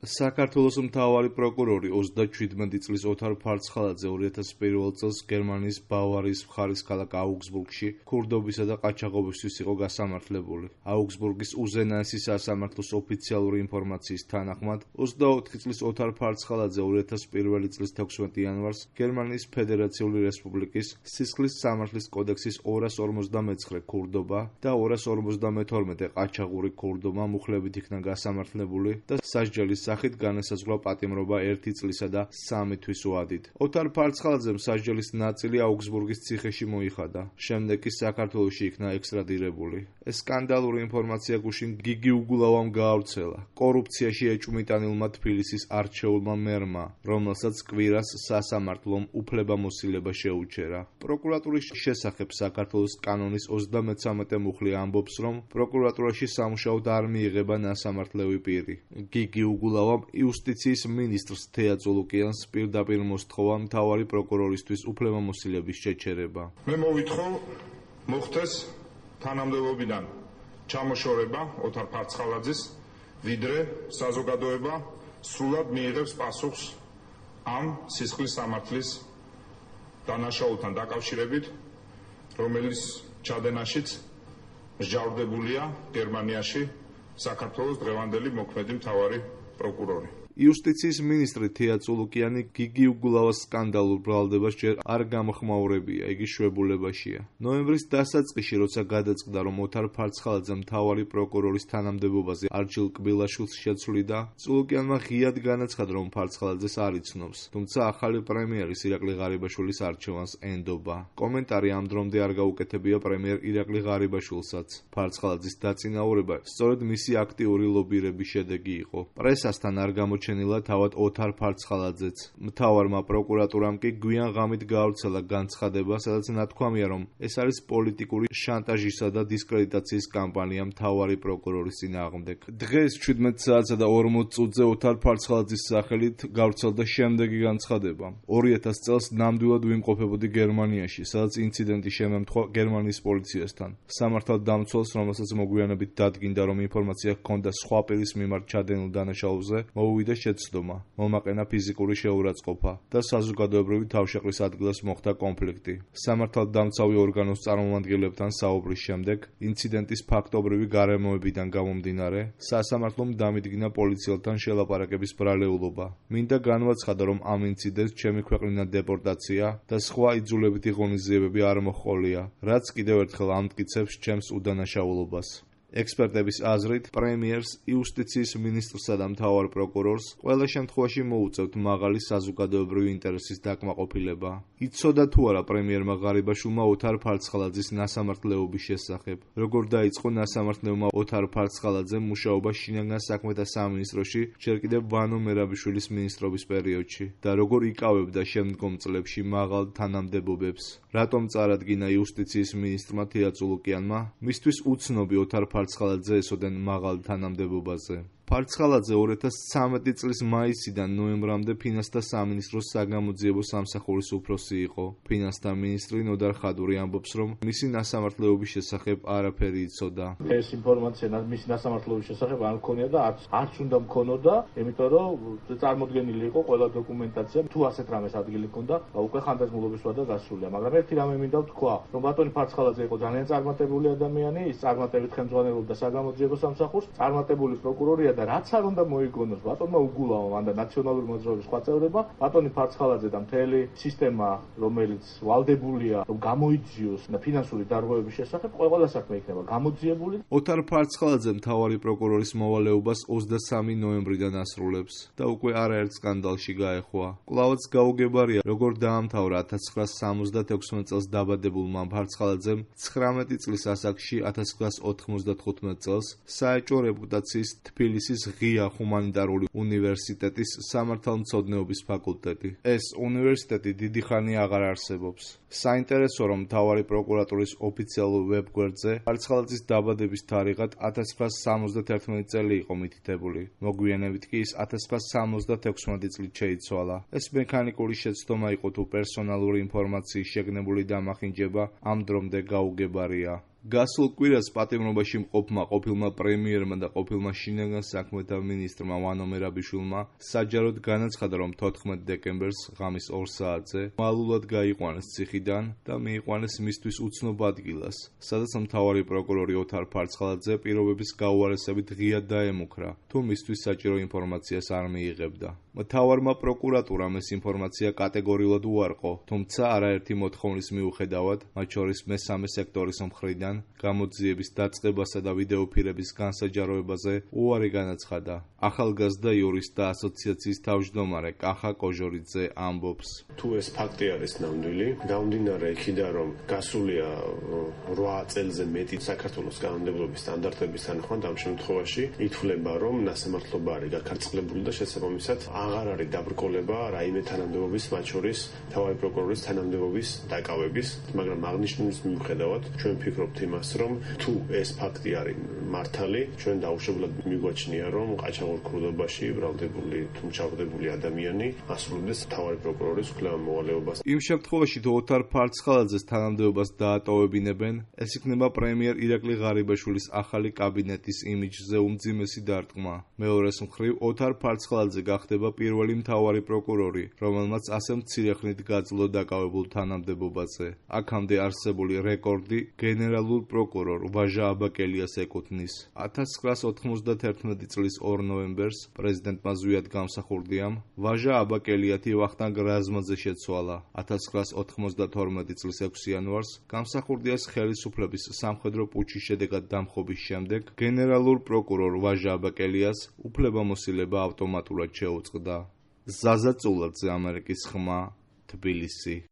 საქართველოს მთავარი პროკურორი 27 წლის ოთარ ფარცხალაძე 2001 წელს გერმანიის ბავარიის მხარის ქალაქ აუგსბურგში ქურდობისა და ყაჩაღობისთვის იყო გასამართლებული. აუგსბურგის უზენაესი სასამართლოს ოფიციალური ინფორმაციის თანახმად, 24 წლის ოთარ ფარცხალაძე 2001 წლის 16 იანვარს გერმანიის ფედერაციული რესპუბლიკის სისხლის სამართლის კოდექსის 259 ქურდობა და 252 ყაჩაღური ქურდობა მუხლებით იქნა გასამართლებული და სასჯელის სახით განესაზღვრა პატიმრობა 1 წლისა და 3 თვის ვადით. ოთარ ფარცხალაძემ სასჯელის ნაწილი აუგსბურგის ციხეში მოიხადა. შემდეგ კი საქართველოში იქნა ექსტრადირებული. ეს სკანდალური ინფორმაცია გუშინ გიგი უგულავამ გაავრცელა. კორუფციაში ეჭვმიტანილმა თბილისის არჩეულმა მერმა, რომელსაც კვირას სასამართლომ უფლებამოსილება შეუჩერა. პროკურატურის შესახებ საქართველოს კანონის 33 მუხლი ამბობს, რომ პროკურატურაში სამუშაოდ არ მიიღება ნასამართლევი პირი. გიგი უგულავამ იუსტიციის მინისტრს თეა წულუკიანს პირდაპირ მოსთხოვა მთავარი პროკურორისთვის უფლებამოსილების შეჩერება. მე მოვითხოვ მოხდეს თანამდებობიდან ჩამოშორება ოთარ ფარცხალაძის, ვიდრე საზოგადოება სრულად მიიღებს პასუხს ამ სისხლის სამართლის დანაშაულთან დაკავშირებით, რომელიც ჩადენაშიც მსჯავრდებულია გერმანიაში საქართველოს დღევანდელი მოქმედი მთავარი პროკურორი. იუსტიციის მინისტრი თეა წულუკიანი გიგი უგულავას სკანდალურ ბრალდებას ჯერ არ გამოხმაურებია, იგი შვებულებაშია. ნოემბრის დასაწყისში, როცა გადაწყდა, რომ ოთარ ფარცხალაძე მთავარი პროკურორის თანამდებობაზე არჩილ კბილაშვილს შეცვლიდა, წულუკიანმა ღიად განაცხადა, რომ ფარცხალაძეს არ იცნობს, თუმცა ახალი პრემიერის ირაკლი ღარიბაშვილის არჩევანს ენდობა. კომენტარი ამ დრომდე არ გაუკეთებია პრემიერ ირაკლი ღარიბაშვილსაც. ფარცხალაძის დაწინაურება სწორედ მისი აქტიური ლობირების შედეგი იყო. პრესასთან არ გამოჩენილა თავად ოთარ ფარცხალაძეც. მთავარმა პროკურატურამ კი გვიან ღამით გაავრცელა განცხადება, სადაც ნათქვამია, რომ ეს არის პოლიტიკური შანტაჟისა და დისკრედიტაციის კამპანია მთავარი პროკურორის წინააღმდეგ. დღეს 17 საათსა და 40 წუთზე ოთარ ფარცხალაძის სახელით გავრცელდა შემდეგი განცხადება. 2000 წელს ნამდვილად ვიმყოფებოდი გერმანიაში, სადაც ინციდენტი შემემთხვა გერმანიის პოლიციასთან. სამართალ დამცველს, რომელსაც მოგვიანებით დადგინდა, რომ ინფორმაცია ჰქონდა სხვა პირის მიმართ ჩადენილ დანაშაულზე, მოუვიდა შეცდომა, მომაყენა ფიზიკური შეურაცხყოფა და საზოგადოებრივი თავშეყრის ადგილას მოხდა კონფლიქტი. სამართალდამცავი ორგანოს წარმომადგენლებთან საუბრის შემდეგ, ინციდენტის ფაქტობრივი გარემოებიდან გამომდინარე, სასამართლომ დამიდგინა პოლიციელთან შელაპარაკების ბრალეულობა. მინდა განვაცხადო, რომ ამ ინციდენტს ჩემი ქვეყნიდან დეპორტაცია და სხვა იძულებითი ღონისძიებები არ მოჰყოლია, რაც კიდევ ერთხელ ამტკიცებს ჩემს უდანაშაულობას. ექსპერტების აზრით, პრემიერს, იუსტიციის მინისტრსა და მთავარ პროკურორს ყველა შემთხვევაში მოუწევთ მაღალი საზოგადოებრივი ინტერესის დაკმაყოფილება. იცოდა თუ არა პრემიერმა ღარიბაშვილმა ოთარ ფარცხალაძის ნასამართლეობის შესახებ, როგორ დაიწყო ნასამართლეულმა ოთარ ფარცხალაძემ მუშაობა შინაგან საქმეთა სამინისტროში ჯერ კიდევ ვანო მერაბიშვილის მინისტრობის პერიოდში და როგორ იკავებდა შემდგომ წლებში მაღალ თანამდებობებს. რატომ წარადგინა იუსტიციის მინისტრმა თეა წულუკიანმა მისთვის უცნობი ოთარ ფარცხალაძე ესოდენ მაღალ თანამდებობაზე. ფარცხალაძე 2013 წლის მაისიდან ნოემბრამდე ფინანსთა სამინისტროს საგამოძიებო სამსახურის უფროსი იყო. ფინანსთა მინისტრი ნოდარ ხადური ამბობს, რომ მისი ნასამართლეობის შესახებ არაფერი იცოდა. ეს ინფორმაცია მისი ნასამართლეობის შესახებ არ მქონია და არც უნდა მქონოდა, იმიტომ რომ წარმოდგენილი იყო ყველა დოკუმენტაცია, თუ ასეთ რამეს ადგილი ჰქონდა, უკვე ხანდაზმულობის ვადა გასულია. მაგრამ ერთი რამე მინდა ვთქვა, რომ ბატონი ფარცხალაძე იყო ძალიან წარმატებული ადამიანი, ის წარმატებით ხელმძღვანელობდა საგამოძიებო სამსახურს, წარმატებული პროკურორია და რაც არ უნდა მოიგონოს ბატონმა უგულავამ ან და ნაციონალური მოძრაობის სხვა წევრება, ბატონი ფარცხალაძე და მთელი სისტემა, რომელიც ვალდებულია, რომ გამოიძიოს ფინანსური დარღვევების შესახებ, ყველა საქმე იქნება გამოძიებული. ოთარ ფარცხალაძე მთავარი პროკურორის მოვალეობას 23 ნოემბრიდან ასრულებს და უკვე არაერთ სკანდალში გაეხვა. კვლავაც გაუგებარია, როგორ დაამთავრა 1976 წელს დაბადებულმა ფარცხალაძემ 19 წლის ასაკში 1995 წელს საეჭვო რეპუტაციის თბილისის ღია ჰუმანიტარული უნივერსიტეტის სამართალმცოდნეობის ფაკულტეტი. ეს უნივერსიტეტი დიდი ხანი აღარ არსებობს. საინტერესო, რომ მთავარი პროკურატურის ოფიციალურ ვებგვერდზე ფარცხალაძის დაბადების თარიღად 1971 წელი იყო მითითებული. მოგვიანებით კი ის 1976 წლით შეიცვალა. ეს მექანიკური შეცდომა იყო თუ პერსონალური ინფორმაციის შეგნებული დამახინჯება ამ დრომდე გაუგებარია. გასულ კვირას პატიმრობაში მყოფმა ყოფილმა პრემიერმა და ყოფილმა შინაგან საქმეთა მინისტრმა ვანო მერაბიშვილმა საჯაროდ განაცხადა, რომ 14 დეკემბერს ღამის 2 საათზე მალულად გაიყვანეს ციხიდან და მიიყვანეს მისთვის უცნობ ადგილას, სადაც მთავარი პროკურორი ოთარ ფარცხალაძე პირობების გაუარესებით ღიად დაემუქრა, თუ მისთვის საჭირო ინფორმაციას არ მიიღებდა. მთავარმა პროკურატურამ ეს ინფორმაცია კატეგორიულად უარყო, თუმცა არაერთი მოთხოვნის მიუხედავად, მათ შორის მესამე სექტორის მხრიდან გამოძიების დაწყებასა და ვიდეოფირების განსაჯაროებაზე უარი განაცხადა. ახალგაზრდა იურისტთა ასოციაციის თავმჯდომარე კახა კოჟორიძე ამბობს: თუ ეს ფაქტი არის ნამდვილი, გამომდინარე იქიდან, რომ გასულია 8 წელზე მეტი საქართველოს კანონმდებლობის სტანდარტების თანახმად, ამ შემთხვევაში ითვლება, რომ ნასამართლობა არის გაქარწყლებული და შესაბამისად აღარ არის დაბრკოლება რაიმე თანამდებობის, მათ შორის მთავარი პროკურორის თანამდებობის დაკავების, მაგრამ აღნიშნულის მიუხედავად ჩვენ ვფიქრობთ იმას, რომ თუ ეს ფაქტი არის მართალი, ჩვენ დაუშვებლად მიგვაჩნია, რომ ყაჩაღურ ქურდობაში ბრალდებული თუ მჩავრდებული ადამიანი ასრულებს მთავარი პროკურორის კვლევა-მოვალეობას. იმ შემთხვევაში, თუ ოთარ ფარცხალაძეს თანამდებობას დაატოვებინებენ, ეს იქნება პრემიერ ირაკლი ღარიბაშვილის ახალი კაბინეტის იმიჯზე უმძიმესი დარტყმა. მეორეს მხრივ, ოთარ ფარცხალაძე გახდება პირველი მთავარი პროკურორი, რომელმაც ასე მცირე ხნით გაძლო დაკავებულ თანამდებობაზე. აქამდე არსებული რეკორდი გენერალურ პროკურორ ვაჟა აბაკელიას ეკუთვნის. 1991 წლის 2 ნოემბერს პრეზიდენტმა ზვიად გამსახურდიამ ვაჟა აბაკელიათი ვახტანგ რაზმაძე შეცვალა. 1992 წლის 6 იანვარს გამსახურდიას ხელისუფლების სამხედრო პუჩის შედეგად დამხობის შემდეგ გენერალურ პროკურორ ვაჟა აბაკელიას უფლებამოსილება ავტომატურად შეუწყდა. ზაზა წულაძე, ამერიკის ხმა, თბილისი.